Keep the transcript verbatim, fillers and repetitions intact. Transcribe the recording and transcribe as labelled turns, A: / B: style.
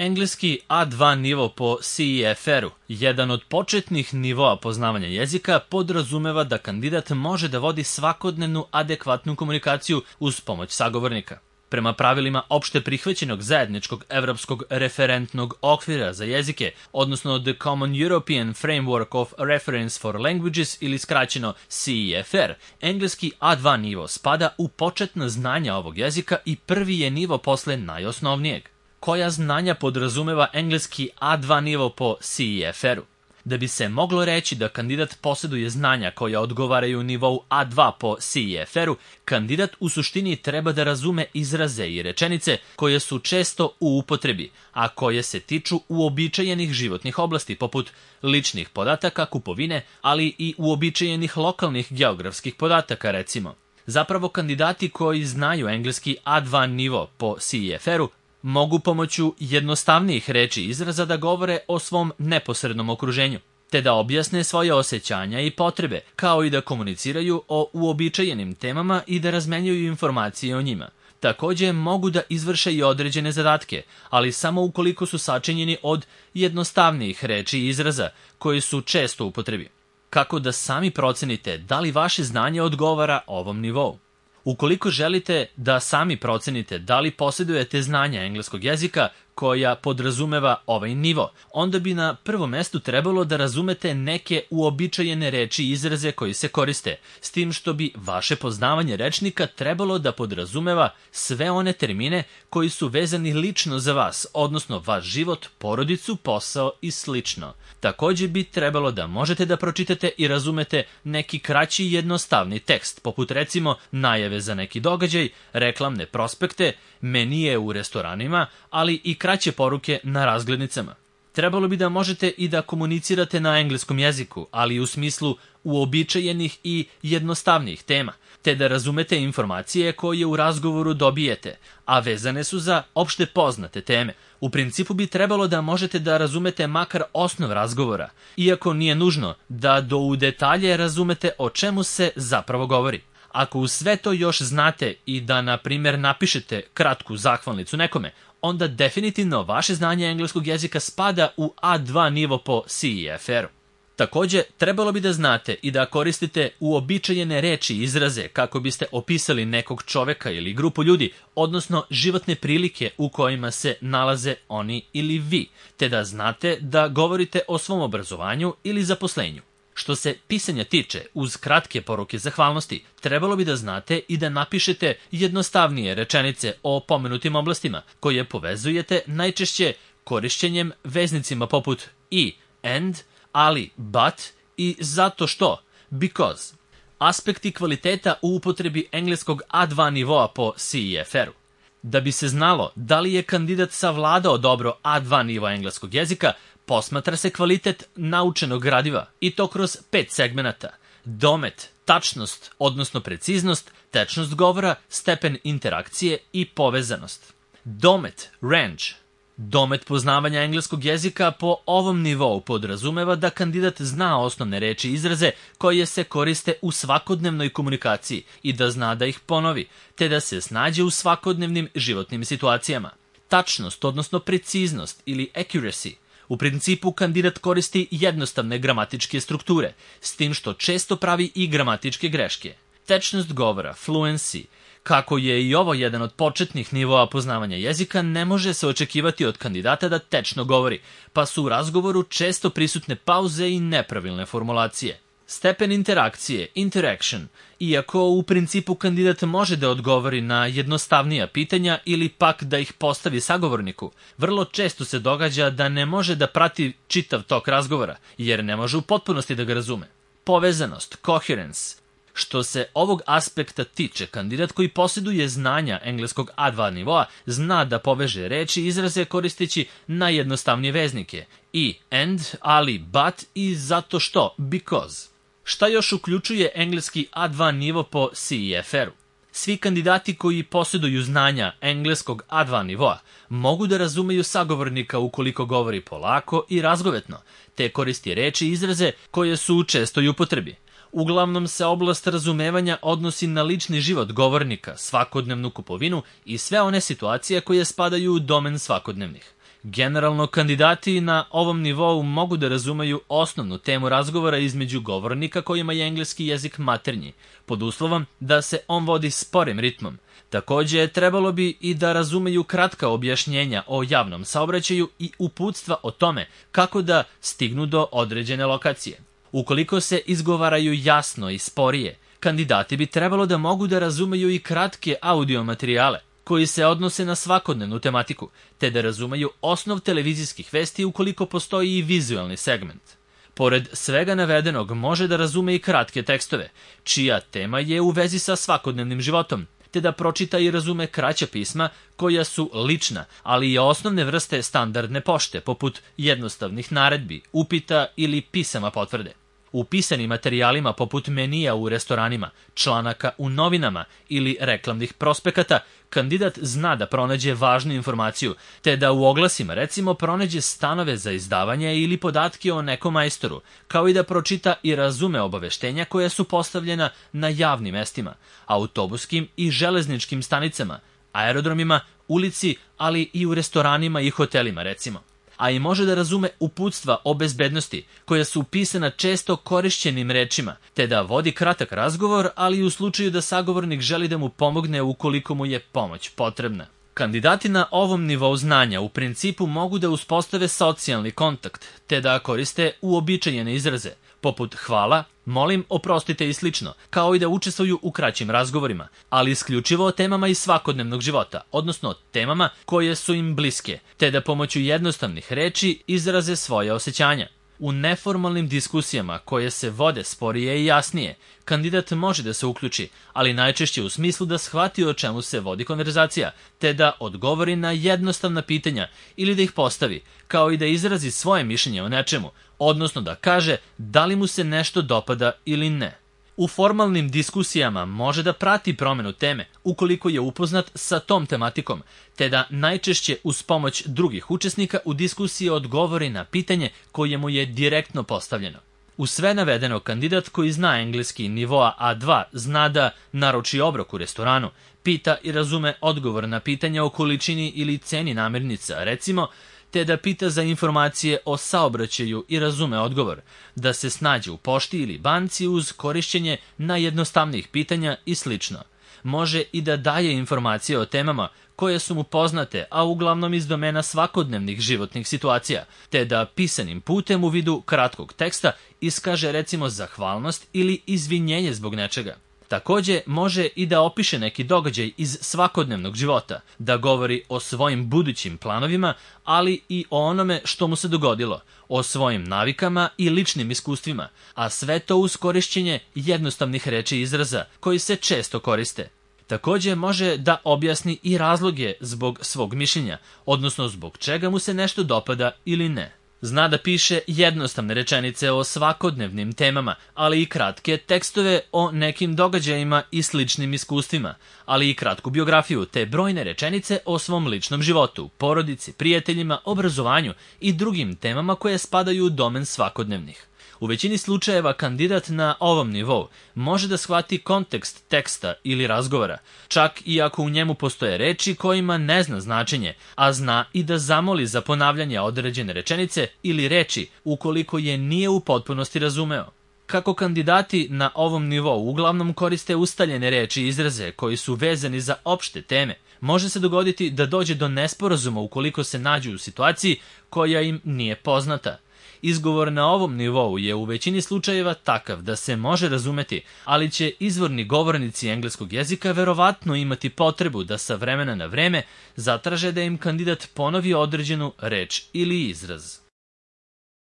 A: Engleski A dva nivo po C E F R-u, jedan od početnih nivoa poznavanja jezika, podrazumeva da kandidat može da vodi svakodnevnu adekvatnu komunikaciju uz pomoć sagovornika. Prema pravilima opšte prihvaćenog zajedničkog evropskog referentnog okvira za jezike, odnosno The Common European Framework of Reference for Languages ili skraćeno C E F R, engleski A dva nivo spada u početna znanja ovog jezika i prvi je nivo posle najosnovnijeg. Koja znanja podrazumeva engleski A dva nivo po C E F R-u? Da bi se moglo reći da kandidat posjeduje znanja koja odgovaraju nivou A dva po C E F R-u, kandidat u suštini treba da razume izraze i rečenice koje su često u upotrebi, a koje se tiču uobičajenih životnih oblasti poput ličnih podataka, kupovine, ali i uobičajenih lokalnih geografskih podataka recimo. Zapravo kandidati koji znaju engleski A dva nivo po C E F R-u mogu pomoću jednostavnijih reči i izraza da govore o svom neposrednom okruženju, te da objasne svoje osjećanja i potrebe, kao i da komuniciraju o uobičajenim temama i da razmenjuju informacije o njima. Takođe mogu da izvrše i određene zadatke, ali samo ukoliko su sačinjeni od jednostavnijih reči i izraza koji su često u upotrebi. Kako da sami procenite da li vaše znanje odgovara ovom nivou? Ukoliko želite da sami procenite da li posjedujete znanja engleskog jezika koja podrazumeva ovaj nivo, onda bi na prvom mestu trebalo da razumete neke uobičajene reči i izraze koji se koriste, s tim što bi vaše poznavanje rečnika trebalo da podrazumeva sve one termine koji su vezani lično za vas, odnosno vaš život, porodicu, posao i slično. Takođe bi trebalo da možete da pročitate i razumete neki kraći i jednostavni tekst, poput recimo najave za neki događaj, reklamne prospekte, menije u restoranima, ali i kraće poruke na razglednicama. Trebalo bi da možete i da komunicirate na engleskom jeziku, ali u smislu uobičajenih i jednostavnih tema, te da razumete informacije koje u razgovoru dobijete, a vezane su za opšte poznate teme. U principu bi trebalo da možete da razumete makar osnov razgovora, iako nije nužno da do u detalje razumete o čemu se zapravo govori. Ako uz sve to još znate i da, na primjer, napišete kratku zahvalnicu nekome, onda definitivno vaše znanje engleskog jezika spada u A dva nivo po C E F R-u. Takođe, trebalo bi da znate i da koristite uobičajene reči i izraze kako biste opisali nekog čoveka ili grupu ljudi, odnosno životne prilike u kojima se nalaze oni ili vi, te da znate da govorite o svom obrazovanju ili zaposlenju. Što se pisanja tiče, uz kratke poruke zahvalnosti, trebalo bi da znate i da napišete jednostavnije rečenice o pomenutim oblastima, koje povezujete najčešće korišćenjem veznicima poput i, and, ali, but i zato što, because. Aspekti kvaliteta u upotrebi engleskog A dva nivoa po C E F R-u. Da bi se znalo da li je kandidat savladao dobro A dva nivoa engleskog jezika, posmatra se kvalitet naučenog gradiva i to kroz pet segmenata: domet, tačnost, odnosno preciznost, tečnost govora, stepen interakcije i povezanost. Domet, range. Domet poznavanja engleskog jezika po ovom nivou podrazumeva da kandidat zna osnovne reči i izraze koje se koriste u svakodnevnoj komunikaciji i da zna da ih ponovi, te da se snađe u svakodnevnim životnim situacijama. Tačnost, odnosno preciznost ili accuracy. U principu kandidat koristi jednostavne gramatičke strukture, s tim što često pravi i gramatičke greške. Tečnost govora, fluency. Kako je i ovo jedan od početnih nivoa poznavanja jezika, ne može se očekivati od kandidata da tečno govori, pa su u razgovoru često prisutne pauze i nepravilne formulacije. Stepen interakcije, interaction. Iako u principu kandidat može da odgovori na jednostavnija pitanja ili pak da ih postavi sagovorniku, vrlo često se događa da ne može da prati čitav tok razgovora, jer ne može u potpunosti da ga razume. Povezanost, coherence. Što se ovog aspekta tiče, kandidat koji posjeduje znanja engleskog A dva nivoa zna da poveže reči i izraze koristeći najjednostavnije veznike i, and, ali, but i zato što, because. Šta još uključuje engleski A dva nivo po C E F R-u? Svi kandidati koji posjeduju znanja engleskog A dva nivoa mogu da razumeju sagovornika ukoliko govori polako i razgovetno, te koristi reči i izraze koje su u čestoj upotrebi. Uglavnom se oblast razumevanja odnosi na lični život govornika, svakodnevnu kupovinu i sve one situacije koje spadaju u domen svakodnevnih. Generalno, kandidati na ovom nivou mogu da razumeju osnovnu temu razgovora između govornika kojima je engleski jezik maternji, pod uslovom da se on vodi sporim ritmom. Takođe, trebalo bi i da razumeju kratka objašnjenja o javnom saobraćaju i uputstva o tome kako da stignu do određene lokacije. Ukoliko se izgovaraju jasno i sporije, kandidati bi trebalo da mogu da razumeju i kratke audio materijale koji se odnose na svakodnevnu tematiku, te da razumeju osnov televizijskih vesti ukoliko postoji i vizualni segment. Pored svega navedenog, može da razume i kratke tekstove, čija tema je u vezi sa svakodnevnim životom, te da pročita i razume kraća pisma koja su lična, ali i osnovne vrste standardne pošte, poput jednostavnih naredbi, upita ili pisama potvrde. U pisanim materijalima poput menija u restoranima, članaka u novinama ili reklamnih prospekata, kandidat zna da pronađe važnu informaciju, te da u oglasima recimo pronađe stanove za izdavanje ili podatke o nekom majstoru, kao i da pročita i razume obaveštenja koja su postavljena na javnim mestima, autobuskim i železničkim stanicama, aerodromima, ulici, ali i u restoranima i hotelima recimo. A i može da razume uputstva o bezbednosti, koja su pisana često korišćenim rečima, te da vodi kratak razgovor, ali i u slučaju da sagovornik želi da mu pomogne ukoliko mu je pomoć potrebna. Kandidati na ovom nivou znanja u principu mogu da uspostave socijalni kontakt, te da koriste uobičajene izraze, poput hvala, molim, oprostite i slično, kao i da učestvuju u kraćim razgovorima, ali isključivo o temama iz svakodnevnog života, odnosno temama koje su im bliske, te da pomoću jednostavnih reči izraze svoje osjećanja. U neformalnim diskusijama koje se vode sporije i jasnije, kandidat može da se uključi, ali najčešće u smislu da shvati o čemu se vodi konverzacija, te da odgovori na jednostavna pitanja ili da ih postavi, kao i da izrazi svoje mišljenje o nečemu, odnosno da kaže da li mu se nešto dopada ili ne. U formalnim diskusijama može da prati promenu teme ukoliko je upoznat sa tom tematikom, te da najčešće uz pomoć drugih učesnika u diskusiji odgovori na pitanje koje mu je direktno postavljeno. U sve navedeno, kandidat koji zna engleski nivoa A dva zna da naruči obrok u restoranu, pita i razume odgovor na pitanja o količini ili ceni namirnica, recimo, te da pita za informacije o saobraćaju i razume odgovor, da se snađe u pošti ili banci uz korišćenje najjednostavnijih pitanja i slično. Može i da daje informacije o temama koje su mu poznate, a uglavnom iz domena svakodnevnih životnih situacija, te da pisanim putem u vidu kratkog teksta iskaže recimo zahvalnost ili izvinjenje zbog nečega. Takođe, može i da opiše neki događaj iz svakodnevnog života, da govori o svojim budućim planovima, ali i o onome što mu se dogodilo, o svojim navikama i ličnim iskustvima, a sve to uz korišćenje jednostavnih reči i izraza koji se često koriste. Takođe, može da objasni i razloge zbog svog mišljenja, odnosno zbog čega mu se nešto dopada ili ne. Zna da piše jednostavne rečenice o svakodnevnim temama, ali i kratke tekstove o nekim događajima i sličnim iskustvima, ali i kratku biografiju te brojne rečenice o svom ličnom životu, porodici, prijateljima, obrazovanju i drugim temama koje spadaju u domen svakodnevnih. U većini slučajeva kandidat na ovom nivou može da shvati kontekst teksta ili razgovora, čak i ako u njemu postoje reči kojima ne zna značenje, a zna i da zamoli za ponavljanje određene rečenice ili reči ukoliko je nije u potpunosti razumeo. Kako kandidati na ovom nivou uglavnom koriste ustaljene reči i izraze koji su vezani za opšte teme, može se dogoditi da dođe do nesporazuma ukoliko se nađu u situaciji koja im nije poznata. Izgovor na ovom nivou je u većini slučajeva takav da se može razumeti, ali će izvorni govornici engleskog jezika verovatno imati potrebu da sa vremena na vreme zatraže da im kandidat ponovi određenu reč ili izraz.